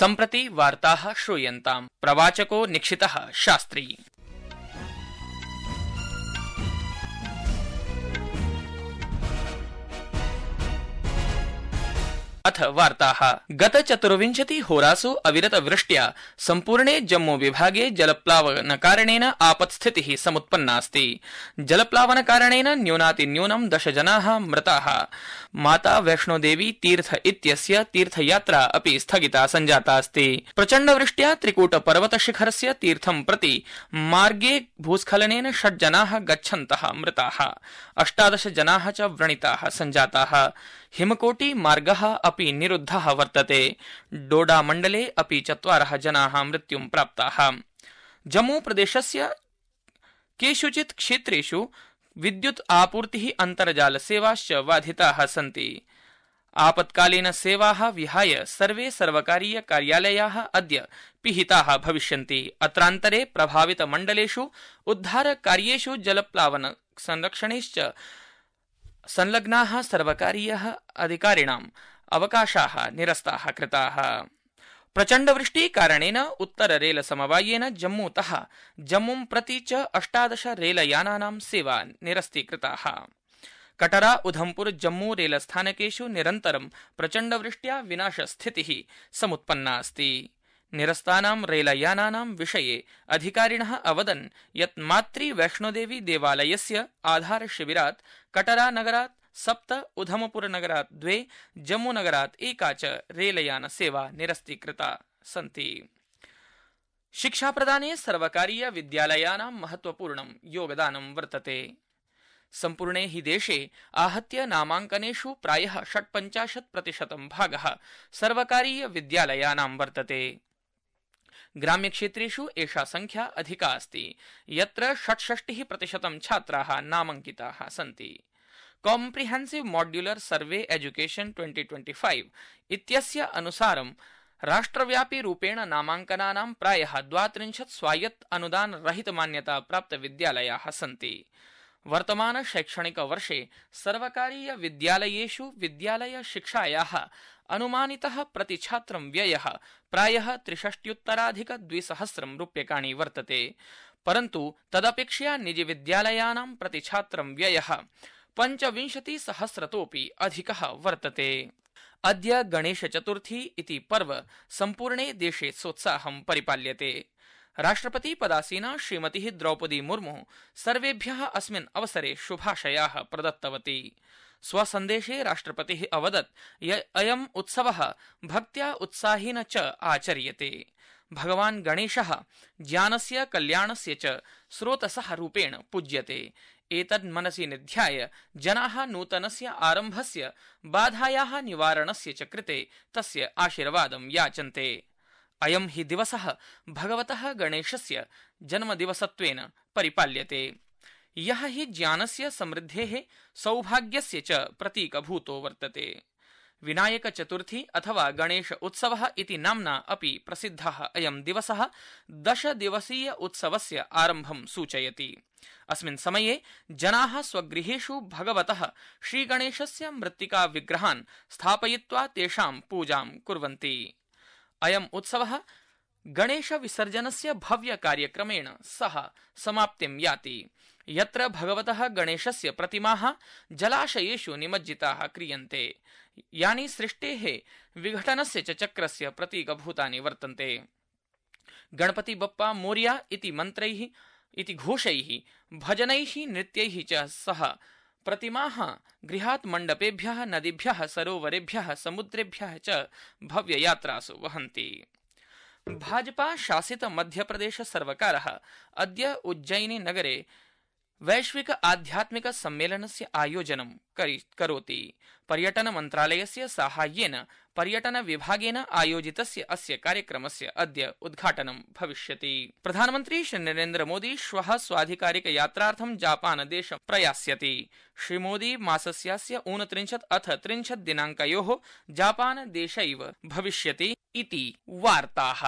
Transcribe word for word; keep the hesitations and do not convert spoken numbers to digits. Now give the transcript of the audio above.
सम्प्रति वार्ताः श्रूयन्ताम्। प्रवाचको निक्षितः शास्त्री। अथ वार्ताः। गत चतुर्विंशति होरासु अविरत वृष्ट्या सम्पूर्णे जम्मू विभागे जलप्लावन कारणेन आपत्स्थितिः समुत्पन्नास्ति। जलप्लावन कारणेन न्यूनातिन्यूनं दश जनाः मृताः। माता वैष्णोदेवी तीर्थ इत्यस्य तीर्थयात्रा अपि स्थगिता सञ्जाता अस्ति। प्रचण्डवृष्ट्या त्रिकूट पर्वतशिखरस्य तीर्थं प्रति मार्गे भूस्खलनेन षड् जनाः गच्छन्तः मृताः। अष्टादश जनाः च व्रणिताः सञ्जाताः। हिमकोटि मार्गः अपि निरुद्धः वर्तते। डोडा मण्डले अपि चत्वारः जनाः मृत्युं प्राप्ताः। जम्मू प्रदेशस्य केषुचित् क्षेत्रेषु विद्युत् आपूर्तिः अन्तर्जाल सेवाश्च बाधिताः सन्ति। आपत्कालीन सेवाः विहाय सर्वे सर्वकारीय कार्यालयाः अद्य पिहिताः भविष्यन्ति। अत्रान्तरे प्रभावित मण्डलेषु उद्धार कार्येषु जलप्लावन संरक्षणेश्च संलग्नाः सर्वकारीयः अधिकारिणाम् अवकाशाः निरस्ताः कृताः। प्रचण्डवृष्टि कारणेन उत्तर रेल समवायेन जम्मूतः जम्मूं प्रति च अष्टादश रेलयानानां सेवा निरस्तीकृताः। कटरा उधमपुर जम्मू रेलस्थानकेषु निरन्तरं प्रचण्डवृष्ट्या विनाशस्थितिः समुत्पन्ना अस्ति। निरस्तानां रेलयानानां विषये अधिकारिणः अवदन् यत् मातृ वैष्णोदेवी देवालयस्य आधारशिबिरात् कटरा नगरात् सप्त, उधमपुर नगरात् द्वे, जम्मू नगरात् एका च रेलयान सेवा निरस्तीकृता सन्ति। शिक्षाप्रदाने सर्वकारीय विद्यालयानां महत्वपूर्णं योगदानं वर्तते। सम्पूर्णे हि देशे आहत्य नामाङ्कनेषु प्रायः षट्पञ्चाशत् प्रतिशतं भागः सर्वकारीय विद्यालयानां वर्तते। ग्राम्यक्षेत्रेषु एषा संख्या अधिका अस्ति, यत्र षट्षष्टिः प्रतिशतं छात्राः नामाङ्किताः सन्ति। कॉम्प्रिहेन्सिव मॉड्यूलर सर्वे एजुकेशन ट्वेंटी ट्वेंटी फाइव इत्यस्य अनुसारं राष्ट्रव्यापी रूपेण नामाङ्कनानां प्रायः द्वात्रिंशत् स्वायत्त अनुदान रहित मान्यता प्राप्त विद्यालयाः सन्ति। वर्तमान शैक्षणिक वर्षे सर्वकारीय विद्यालयेषु विद्यालय शिक्षायाः अनुमानितः प्रतिछात्रं व्ययः प्रायः त्रिषष्ट्युत्तराधिक द्विसहस्रं रूप्यकाणि वर्तते। परन्तु तदपेक्षया निजी विद्यालयानां प्रतिछात्रं व्ययः पञ्चविंशतिसहस्रतोऽपि अधिकः वर्तते। अद्य गणेश चतुर्थी इति पर्व सम्पूर्णे देशे सोत्साहं परिपाल्यते। राष्ट्रपति पदासीना श्रीमती द्रौपदी मुर्मु सर्वेभ्यः अस्मिन् अवसरे शुभाशयाः प्रदत्तवती। स्वसन्देशे राष्ट्रपतिः अवदत् यत् अयम् उत्सवः भक्त्या उत्साहेन च आचर्यते। भगवान् गणेशः ज्ञानस्य कल्याणस्य च स्रोतसः रूपेण पूज्यते। एतद् मनसि निध्याय जनाः नूतनस्य आरम्भस्य बाधायाः निवारणस्य च कृते तस्य आशीर्वादं याचन्ते। अयं हि दिवसः भगवतः गणेशस्य जन्मदिवसत्वेन परिपाल्यते, यः हि ज्ञानस्य समृद्धेः सौभाग्यस्य च प्रतीकभूतो वर्तते। विनायक चतुर्थी अथवा गणेश उत्सवः इति नाम्ना अपि प्रसिद्धः अयं दिवसः दश दिवसीय उत्सवस्य आरम्भं सूचयति। अस्मिन् समये जनाः स्वगृहेषु भगवतः श्रीगणेशस्य मृत्तिका विग्रहान् स्थापयित्वा तेषां पूजां कुर्वन्ति। अयम् उत्सवः गणेश विसर्जनस्य भव्य कार्यक्रमेण सह समाप्तिं याति, यत्र भगवतः गणेशस्य प्रतिमाः जलाशयेषु निमज्जिताः क्रियन्ते, यानि सृष्टेः विघटनस्य च चक्रस्य प्रतीकभूतानि वर्तन्ते। गणपति बप्पा मोरिया इति मन्त्रैः इति घोषैः भजनैः नृत्यैः च सह प्रतिमाः गृहात् मण्डपेभ्यः नदीभ्यः सरोवरेभ्यः समुद्रेभ्यः च भव्ययात्रासु वहन्ति। भाजपा शासित मध्यप्रदेश सर्वकारः अद्य उज्जयिनी नगरे वैश्विक आध्यात्मिक सम्मेलनस्य आयोजनं करोति। पर्यटन मन्त्रालयस्य साहाय्येन पर्यटन विभागेन आयोजितस्य अस्य कार्यक्रमस्य अद्य उद्घाटनं भविष्यति। प्रधानमन्त्री श्री नरेन्द्र मोदी श्वः स्वाधिकारिक यात्रार्थं जापान देशं प्रयास्यति। श्री मोदी मासस्यास्य ऊनत्रिंशत् अथ त्रिंशत् दिनाङ्कयोः जापान देशैव भविष्यति इति वार्ताः।